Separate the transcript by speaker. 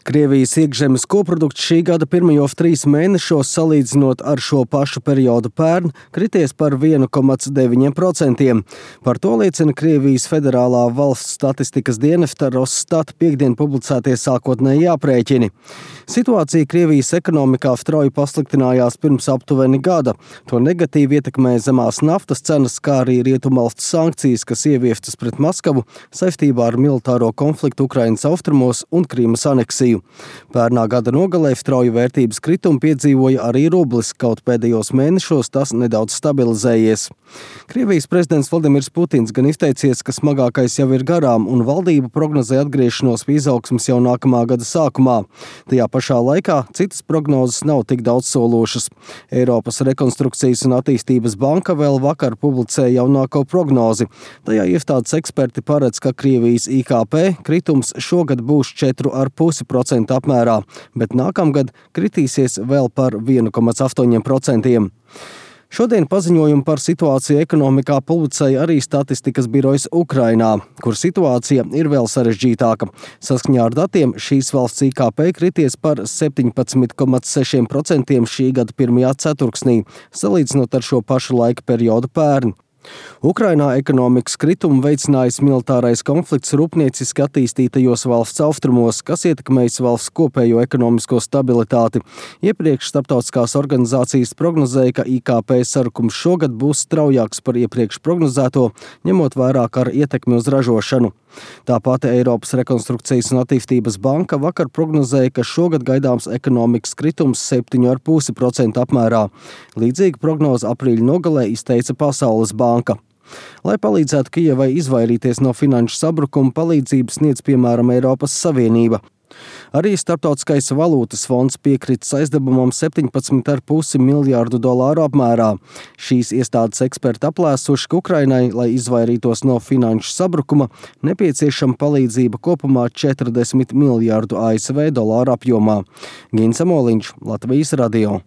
Speaker 1: Krievijas iekšzemes koprodukts šī gada pirmajos 3 mēnešos, salīdzinot ar šo pašu periodu pērn, krities par 1,9%. Par to liecina Krievijas Federālā valsts statistikas dienesta Rosstat piekdien publicētie sākotnēji aprēķini. Situācija Krievijas ekonomikā strauji pasliktinājās pirms aptuveni gada. To negatīvi ietekmēja zemās naftas cenas, kā arī rietumvalstu sankcijas, kas ieviestas pret Maskavu saistībā ar militāro konfliktu Ukrainas austrumos un Krīmas aneksiju. Pērnā gada nogalē strauju vērtības kritumu piedzīvoja arī rublis, kaut pēdējos mēnešos tas nedaudz stabilizējies. Krievijas prezidents Vladimirs Putins gan izteicies, ka smagākais jau ir garām un valdība prognozē atgriešanos pie izaugsmes jau nākamā gada sākumā. Tajā pašā laikā citas prognozes nav tik daudzsološas. Eiropas rekonstrukcijas un attīstības banka vēl vakar publicēja jaunāko prognozi. Tajā iestādes eksperti paredz, ka Krievijas IKP kritums šogad būs 4,5% apmērā, bet nākamgad kritīsies vēl par 1,8%. Šodien paziņojumu par situāciju ekonomikā publicēja arī statistikas birojas Ukrainā, kur situācija ir vēl sarežģītāka. Saskaņā ar datiem šīs valsts IKP krities par 17,6% šī gada pirmajā ceturksnī, salīdzinot ar šo pašu laika periodu pērn. Ukrainā ekonomikas kritumu veicinājis militārais konflikts rūpnieciski attīstītajos valsts austrumos, kas ietekmējis valsts kopējo ekonomisko stabilitāti. Iepriekš starptautiskās organizācijas prognozēja, ka IKP sarukums šogad būs straujāks par iepriekš prognozēto, ņemot vērā kara ietekmi uz ražošanu. Tāpat Eiropas rekonstrukcijas un attīstības banka vakar prognozēja, ka šogad gaidāms ekonomikas kritums 7,5% apmērā. Līdzīgu prognozi aprīļa nogalē izteica Pasaules banka. Lai palīdzētu Kijevai izvairīties no finanšu sabrukuma, palīdzības sniedz piemēram Eiropas Savienība. Arī Starptautiskais valūtas fonds piekrita aizdevumam $17,5 miljārdu apmērā. Šīs iestādes eksperti aplēsuši, ka Ukrainai, lai izvairītos no finanšu sabrukuma, nepieciešama palīdzība kopumā $40 miljārdu ASV apjomā. Gins Amoliņš, Latvijas radio.